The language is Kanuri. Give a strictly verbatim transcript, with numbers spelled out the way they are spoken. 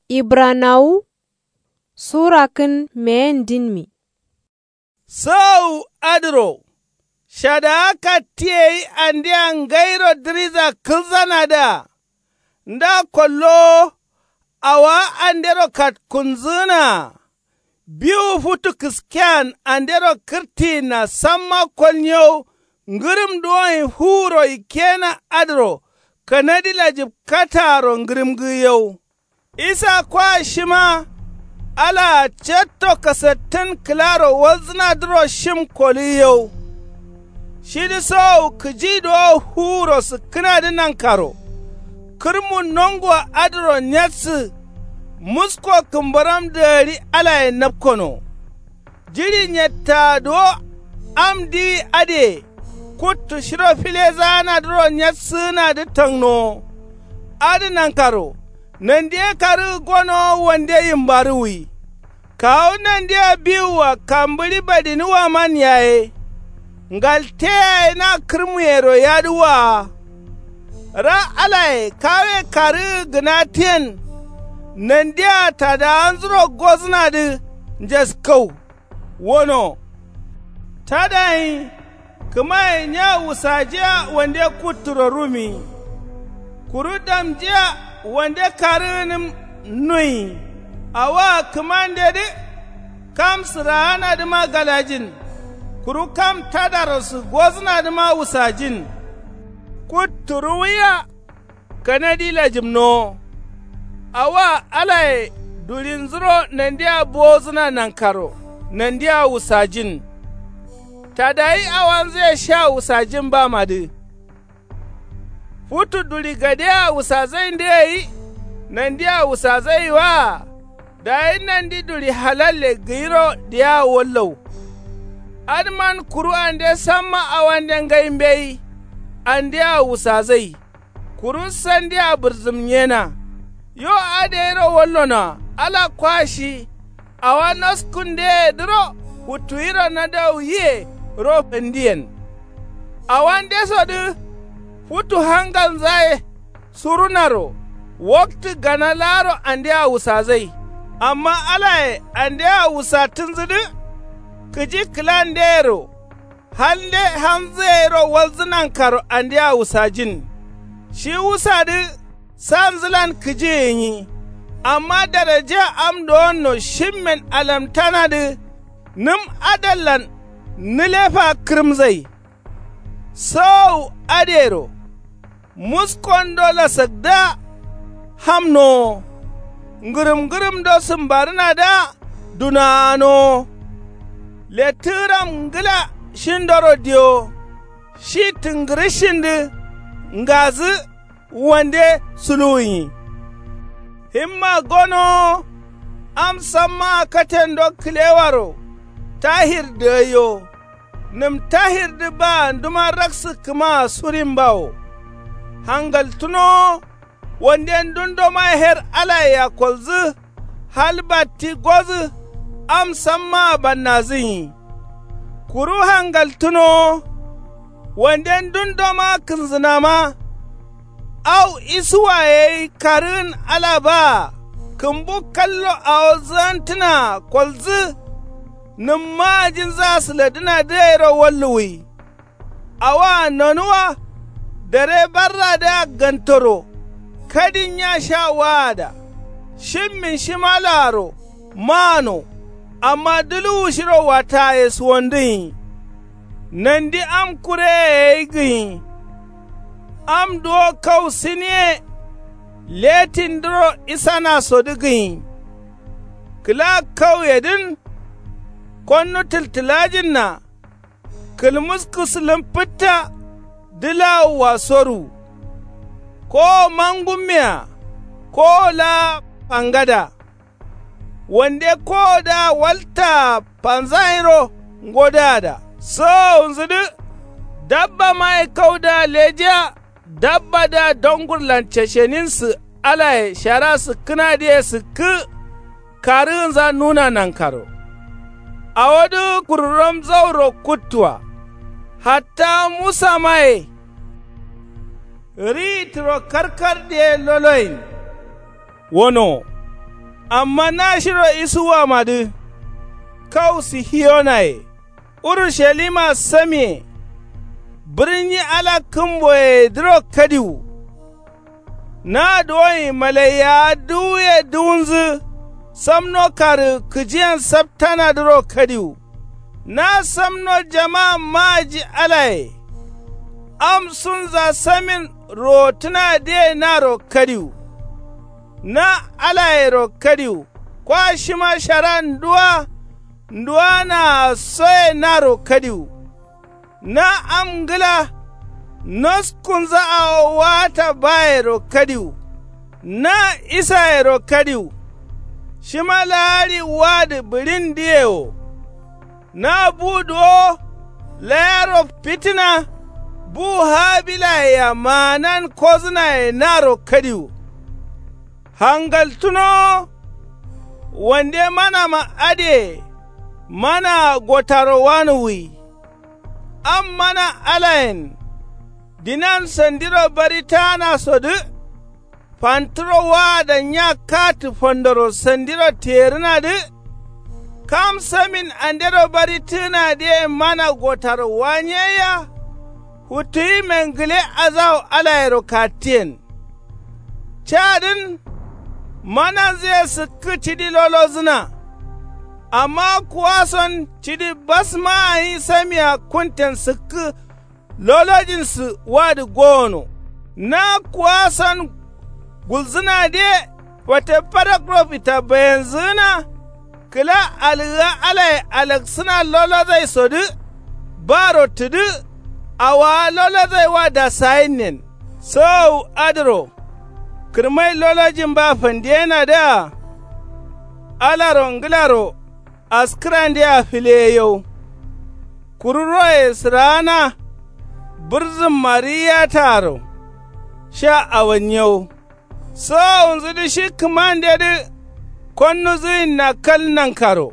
Ibranawu sura kǝn meyen dinmi. Sǝwu adǝro shadaa katti gai andea ngairo dǝriza kǝlzanadǝa nda kollowo awowa andero katkunzǝgǝnaa biwu futu kǝskean andero kǝrtiyinna samma kolnyewu ngǝrǝm duwonyi fuwuro ikkena adǝro kanadi lajǝb kataaro ngǝrǝmgǝgǝ yau. Isa kwa shima alaa catto kasattǝn kǝlaro walzǝnadǝro shim kolǝgǝ yau. Shidǝ sowu kǝji duwo fuwuro sǝkkǝnadǝ nankaro kǝrmu nongo adǝro nyatsǝ musko kǝmbaram dagari alaye napkono. Jiɍi nyattaa duwo am diwi adǝye kuttu shiro filezaanadǝro nyatsǝgǝnadǝ tangnowo. Adǝ nankaro nandi ye karǝgǝ gonowo wande yimbarǝwwi. Kawu nandea biwua kambǝɍi badiniwaman yaye ngalte yaye na kǝrmuyero yadǝ waa. Ra alaye kawe karǝgǝ gǝnatǝyen nandea tadawanzuro gozǝnadǝ njaskau. Wono tadayin kǝmaye nya wusajiya wande kutturo rumi. Kuru damjiya wande karǝgǝnǝm nuyi. Awoa kǝmandedǝ kam sǝraanadǝma galajin kuru kam tadarosu gozǝnadǝma wusajin. Kuttu ruwiya kanadi lajǝmnowo. Awoa alaye duɍinzuro nandia bowozǝna nankaro nandia wusajin. Tadayi awanzǝye sha wusajin bamadǝ. Futu duɍi gadea wusazaindǝ gai nandia wusazai waa. Dayi nandi duɍi halalle gǝyiro diyaa wallau. Adǝman kuru ande samma awande ngai mbeyi andea wusazai. Kuru sandia bǝrzǝmnyena. Yo adǝ gairo wallonoa ala kwa shi awa noskundeyedǝro futtuyiro nadau yiyero fandiyen. Awandesodǝ futu hangalnzaye surunaro waktǝ gana laaro andea wusazai. Amma alaye andea wusattǝnzǝdǝ kǝji kǝlandeyero. Halde hamzǝ gairo walzǝ nankaro andea wusajin. Shi wusadǝ sanzǝlan kǝji gǝnyi. Amma daraja am dowonno shimmen alamtanadǝ nǝm adallan nǝlefa kǝrǝmzai. Sowowu adǝyero muskondo lasakdǝa hamnowo. Ngǝrǝm ngǝrǝmdo sǝmbarǝnadǝa dunaanowo. Lettǝgǝram ngǝla shindoro diyowo. Shi tǝngǝrǝshindǝ ngazǝ wande suluwunyi. Himma gonowo am sammaa katendo kǝlewaro tahir dǝgaiyo. Nǝm tahirdǝ baa nduma raksǝkkǝmaa surimbawo. Hangaltǝnowo wande ndundoma her alayea kolzǝ. Hal batti gozǝ am sammaa bannazǝnyi. Kuru hangaltǝnowo wande ndundoma kǝnzǝnama. Au isuwaye gai karǝgǝn ala baa kǝmbu kallo awo zǝgantǝnaa kolzǝ. Nǝmma ajinzǝa sǝladǝnadǝ gairo walluwwi. Awoa nonuwa dare barradǝa gantoro. Kadin nya sha waada shimmin shimalaaro maano. Amma duluwu shiro wattaye suwondǝnyi. Nandi am kureye gai gǝnyi. Am duwo kau siniye letindǝro isanasodǝ gǝnyi. Kǝla kauyedǝn konnu tǝltǝlajinna. Kǝlmuskǝ sǝlǝm fǝtta dǝlawua soru. Kowo mangummea kowo laa fangada. Wande kowodǝa waltaa fanzayiro ngodǝada. Sowowunzǝdǝ dabbamaye kaudǝa lejiya. Dabbadǝa dongurlan cesheninsǝ alaye shara sǝkkǝnadǝye sǝkkǝ. Karǝgǝnza nuna nankaro awodǝ kururam zauro kuttua. Hatta musamaye riyi turo karkardǝye loloyin. Wono Amma nashiro isuwamadǝ kau sihiyonaye urushalima samiye bǝrnyi ala kǝmboyedǝro kadiwu. Na duwonyi malaiyawa duwuye duwunzǝ samno karǝ kǝjiyen saptanadǝro kadiwu. Na samno jama maaji alaye am sunza samin rowottǝnadǝye naro kadiwu. Na alayero kadiwu kwa shima shara nduwa nduwanaa soye naro kadiwu. Na am ngǝla noskunza awo waata bayero kadiwu. Na isayero kadiwu shima laaɍi wadǝ bǝɍindǝye wo. Na bu duwo layaro fitina bu habilayea maanan kozǝnaye naro kadiwu. Hangaltunowo wande manama adǝye manaa gotaro wanuwwi. Am mana alayen dinan sandiro barittanasodǝ fantǝro waada nya katǝ fandoro sandiro tiyerǝnadǝ. Kam samin andero barittǝnadǝye mana gotaro wanyeyya. Futtuwi mengǝle azawo alayero kattiyen. Cadǝn mananzǝye sǝkkǝ cidi lolozǝna. Amma kuwason cidi basmaa gǝnyi samia kunten sǝkkǝ lolojin sǝ wadǝ gowono. Na kuwason gulzǝnadǝye fate farakro fita bayenzǝgǝna. Kǝla algǝga alaye alaksǝna lolozaisodǝ baro tǝdǝ. Awowa lolozai wa dasayinnen sowowu adǝro kǝrmai lolojin ba fandiyenadǝa. Alaro ngǝlaro askǝrandea fǝleyeyau. Kuru roye sǝraana bǝrzǝmma riyataaro sha awanyiyau. Sowowunzudǝ shi kǝmandedǝ konnuzǝyinna kal nankaro.